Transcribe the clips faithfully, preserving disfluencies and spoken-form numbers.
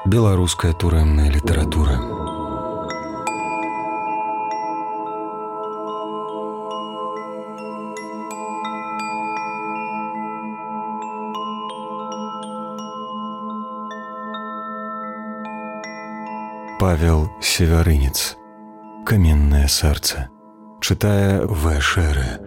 Беларуская турэмная літаратура. Павел Севярынец. Каменное сердце. Читая В. Шеры.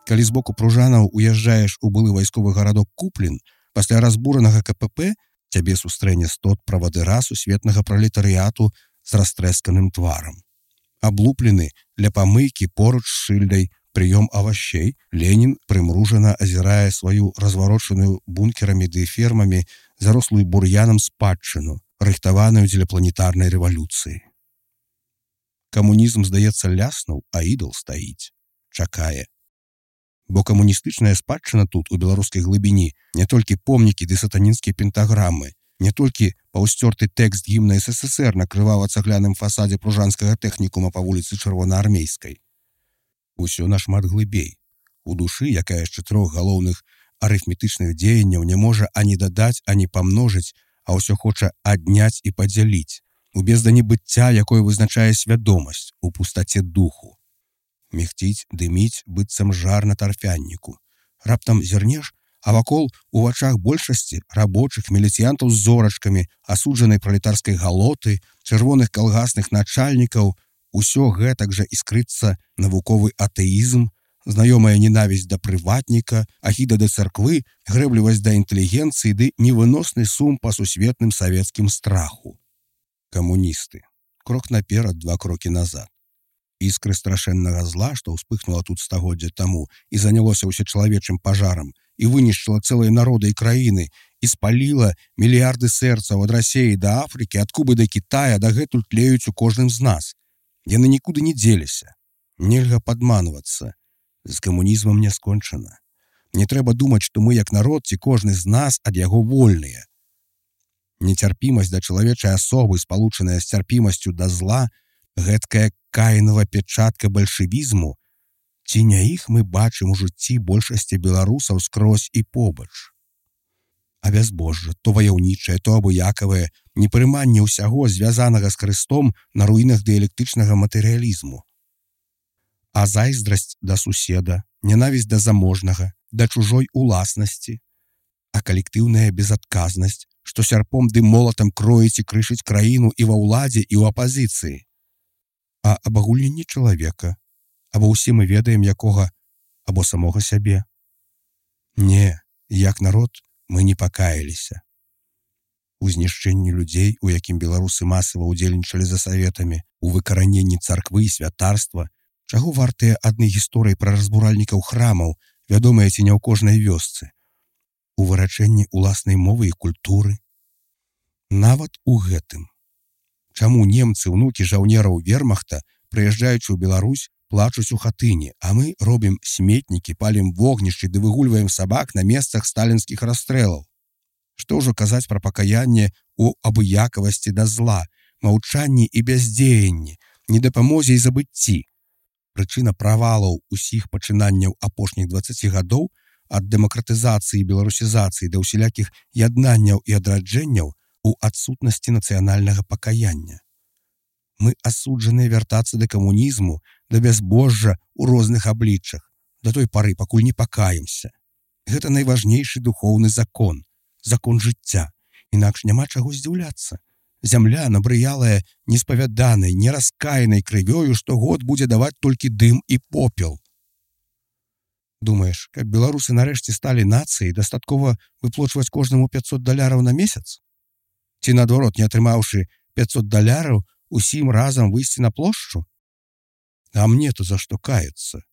Калі з боку пружанаў уязджаеш у былы вайсковы гарадок Куплін, пасля разбуранага ка пэ пэ цябе сустрэне стот правадыра сусветнага пралетарыяту з растрэсканым тварам. Аблуплены ля памыйкі поруч з шыльдай «Прыём авашей», Ленін прымружана азірае сваю разварочаную бункерамі ды фермамі зарослую бур'янам спадчыну, рыхтаваную дзеля планетарнай рэвалюцыі. Камунізм, здаецца, ляснуў, а ідал стаіць, чакае. Бо камуністычная спадчына тут, у беларускай глыбіні, не толькі помнікі ды сатанінскія пентаграмы, не толькі паўсцёрты тэкст гімна эс эс эс эр на крывава-цагляным фасадзе пружанскага тэхнікума па вуліцы Чырвонаармейскай. Усё нашмат глыбей. У душы, якая з чатырох галоўных арыфметычных дзеянняў не можа ані дадаць, ані памножыць, а ўсё хоча адняць і падзяліць, у бездані быцця, якое вызначае свядомасць, у пустаце духу. Мехціць, дыміць, быццам жар на тарфянніку. Раптам зірнеш, а вакол у вачах большасці рабочых міліцыянтаў з зорачкамі, асуджанай пралетарскай галоты, чырвоных калгасных начальнікаў, усё гэтак жа іскрыцца навуковы атэізм, знаёмая ненавісць да прыватніка, ахіда да царквы, грэблівасць да інтэлігенцыі ды невыносны сум па сусветным савецкім страху. Камуністы. Крок наперад, два крокі назад. Іскры страшэннага зла, што ўспыхнула тут стагоддзя таму і занялося ўсечалавечым пажарам, і вынішчыла цэлыя народы і краіны, і спаліла мільярды сэрцаў ад Расеі да Афрыкі, ад Кубы да Кітая, дагэтуль тлеюць у кожным з нас. Яны нікуды не дзеліся. Нельга падманвацца. З камунізмам не скончана. Не трэба думаць, што мы, як народ, ці кожны з нас ад яго вольныя. Нецярпімасць да чалавечай асобы, спалучаная з цярпімасцю да зла, гэткая каінава печатка бальшавізму, ці не іх мы бачым у жыцці большасці беларусаў скрозь і побач. А бязбожжа, то ваяўнічае, то абыякавае, непрыманне ўсяго, звязанага з Хрыстом на руінах дыялектычнага матэрыялізму. А зайздрасць да суседа, ненавісць да заможнага, да чужой уласнасці, а калектыўная безадказнасць, што сярпом ды молатам кроіць і крышыць краіну і ва ўладзе, і ў апазіцыі. А абагульненне чалавека, або ўсе мы ведаем якога, або самога сябе. Не, як народ мы не пакаяліся. У знішчэнні людзей, у якім беларусы масава ўдзельнічалі за саветамі, у выкараненні царквы і святарства, чаго вартыя адны гісторыі пра разбуральнікаў храмаў, вядомыя ці не ў кожнай вёсцы, у вырачэнні уласнай мовы і культуры. Нават у гэтым. Чаму немцы, унукі жаўнераў вермахта, прыязджаючы ў Беларусь, плачуць у хатыне, а мы робім сметнікі, палім вогнішчы ды выгульваем сабак на месцах сталінскіх расстрэлаў? Што ўжо казаць пра пакаянне у абыякавасці да зла, маўчанні і бяздзеянні, недапамозе і забыцці? Прычына правалаў усіх пачынанняў апошніх дваццаці гадоў ад дэмакратызацыі і беларусізацыі да ўсялякіх яднанняў і адраджэнняў у адсутнасці нацыянальнага пакаяння. Мы асуджаныя вяртацца да камунізму, да бязбожжа ў розных абліччах, да той пары, пакуль не пакаемся. Гэта найважнейшы духоўны закон, закон жыцця, інакш няма чаго здзіўляцца. Зямля, набрыялая неспавяданай, нераскаянай крывёю, штогод будзе даваць толькі дым і попел. Думаеш, каб беларусы нарэшце сталі нацыяй, дастаткова выплочваць кожнаму пяцьсот даляраў на месяц? Ці, наадварот, не атрымаўшы пяцьсот даляраў, усім разам выйсці на плошчу? А мне-то за што каяцца?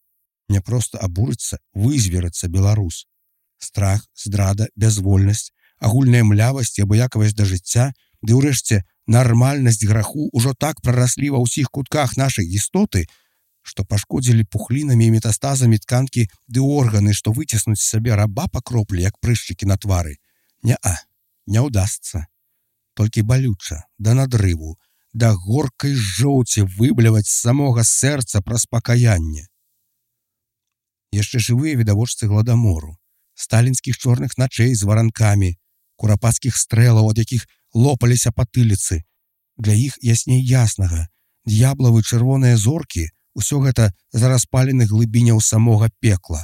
Не проста абурыцца, вызверыцца беларус. Страх, здрада, бязвольнасць, агульная млявасць і абыякавасць да жыцця, ды ўрэшце нармальнасць граху ўжо так прараслі ва ўсіх кутках нашай істоты, што пашкодзілі пухлінамі і метастазамі тканкі ды органы, што выціснуць з сабе раба па кроплі, як прышчыкі на твары. Не-а, не ўдасца. толькі балюча, да надрыву, да горкай жоўці выбляваць з самога сэрца праз пакаянне. Яшчэ жывыя відавочцы гладамору, сталінскіх чорных начэй з варанкамі, курапацкіх стрэлаў, ад якіх лопаліся патыліцы. Для іх ясней яснага, д'яблавы чырвоныя зоркі, усё гэта з распаленых глыбіняў самога пекла.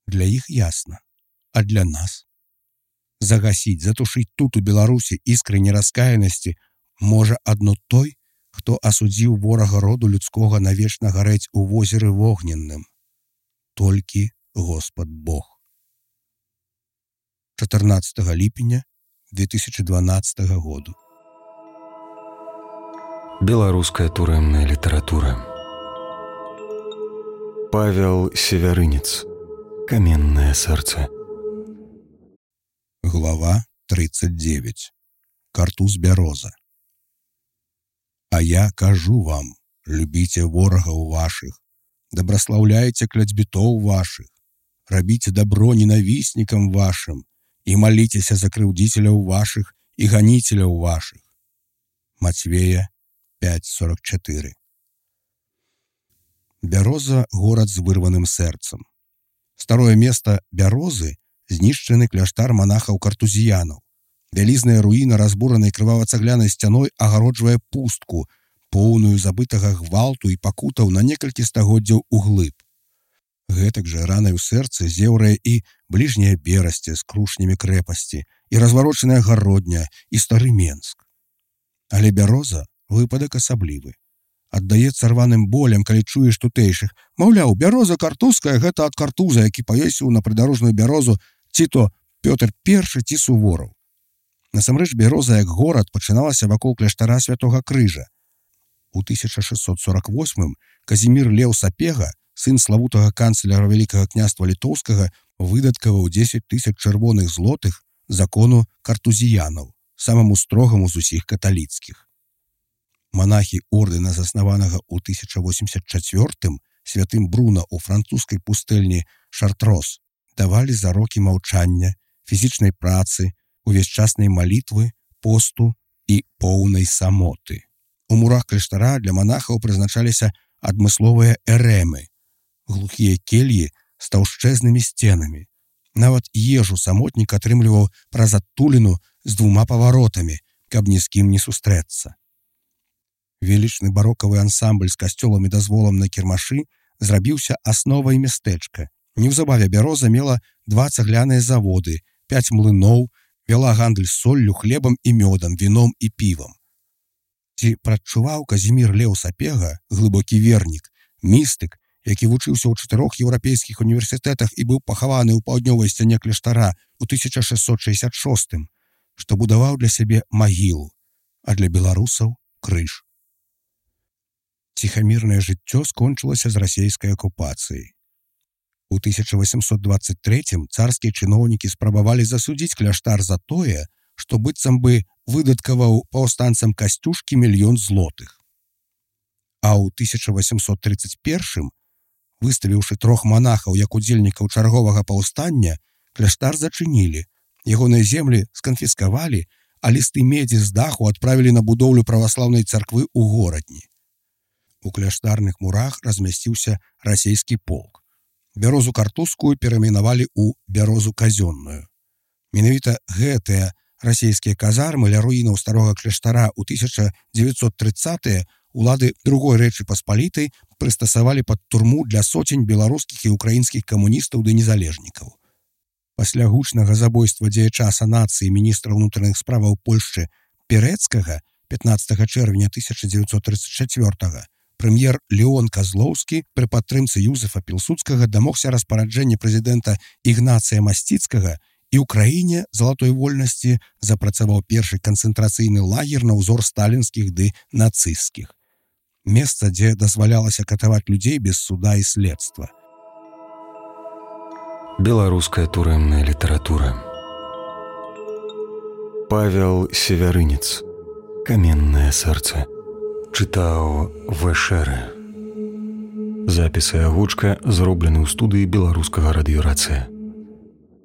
Для іх ясна, а для нас? Загасіць, затушыць тут у Беларусі іскры нераскаянасці можа адно той, хто асудзіў ворага роду людскога навечна гарэць у возеры вогненным. Толькі Господ Бог. чатырнаццатага ліпеня две тысячи дванаццатага году. Беларуская турэмная літаратура. Павел Севярынец. Каменное сердце. Глава тридцать девять. Картуз бяроза. А я кажу вам, любіце ворагаў вашых, добраслаўляйце кляцьбітоў вашых, рабіце дабро ненавіснікам вашым і маліцеся за крыўдзіцеляў вашых і ганіцеляў вашых. Мацвея пять сорок четыре. Бяроза – горад з вырваным сэрцам. Старое место Бярозы – знішчаны кляштар манахаў-картузіянаў. Вялізная руіна, разбуранай крывава-цаглянай сцяной, агароджвае пустку, поўную забытага гвалту і пакутаў на некалькі стагоддзяў углыб. Гэтак жа ранай у сэрцы зеўрае і бліжняя Берасце з крушнямі крэпасці, і разварочаная Гародня, і стары Менск. Але Бяроза – выпадак асаблівы. Аддаецца рваным болем, калі чуеш тутэйшых. Маўляў, бяроза картузская – гэта ад картуза, які павесіў на прыдарожную бярозу ці то Пётр Першы, ці Сувораў. Насамрэч, Бяроза як горад пачыналася вакол кляштара Святога Крыжа. У тысяча шэсцьсот сорок восьмым Казімір Леў Сапега, сын славутага канцляра Вялікага княства Літоўскага, выдаткаваў дзесяць тысяч чырвоных злотых закону картузіянаў, самаму строгаму з усіх каталіцкіх. Манахі ордэна, заснаванага ў тысяча восемьдесят чацвёртым святым Бруна ў французскай пустэльні Шартрос, давалі зарокі маўчання, фізічнай працы, увесьчаснай малітвы, посту і поўнай самоты. У мурах кляштара для манахаў прызначаліся адмысловыя эрэмы, глухія кельі з таўшчэзнымі сценамі. Нават ежу самотнік атрымліваў праз адтуліну з двума паваротамі, каб ні з кім не сустрэцца. Велічны барокавы ансамбль з касцёлам і дазволам на кірмашы зрабіўся асновай мястэчка. Неўзабаве Бяроза мела два цагляныя заводы, пяць млыноў, вяла гандаль соллю, хлебам і мёдам, віном і півам. Ці прадчуваў Казімір Леў Сапега, глыбокі вернік, містык, які вучыўся ў чатырох еўрапейскіх універсітэтах і быў пахаваны ў паўднёвай сцяне кляштара ў тысяча шэсцьсот шэсцьдзесят шостым, што будаваў для сябе магілу, а для беларусаў крыж. Ціхамірнае жыццё скончылася з расейскай акупацыяй. У тысяча восемьсот двадцать третьем царскія чыноўнікі спрабавалі засудзіць кляштар за тое, што быццам бы выдаткаваў паўстанцам Касцюшкі мільён злотых. А ў тысяча восемьсот тридцать первым, выставіўшы трох манахаў як удзельнікаў чарговага паўстання, кляштар зачынілі, ягоныя землі сканфіскавалі, а лісты медзі з даху адправілі на будоўлю праваслаўнай царквы ў горадні. У кляштарных мурах размясціўся расейскі полк. Бярозу картузскую перайменавалі ў бярозу казённую. Менавіта гэтыя расійскія казармы ля руінаў старога кляштара ў тысяча дзевяцьсот трыццатыя улады другой Рэчы Паспалітай прыстасавалі пад турму для соцень беларускіх і украінскіх камуністаў ды незалежнікаў. Пасля гучнага забойства дзеяча санацыі міністра ўнутраных справаў Польшчы Пірэцкага пятнаццатага чэрвеня тысяча дзевяцьсот трыццаць чацвёртага прэм'ер Леон Казлоўскі пры падтрымцы Юзефа Пілсудскага дамогся распараджэння прэзідэнта Ігнацыя Масціцкага і ў краіне залатой вольнасці запрацаваў першы канцэнтрацыйны лагер на ўзор сталінскіх ды нацысцкіх. Месца, дзе дазвалялася катаваць людзей без суда і следства. Беларуская турэмная літаратура. Павел Севярынец. Каменное сердце. Чытаў Вэшэрэ. Запіс і агучка зроблены ў студыі беларускага радыёрацыя.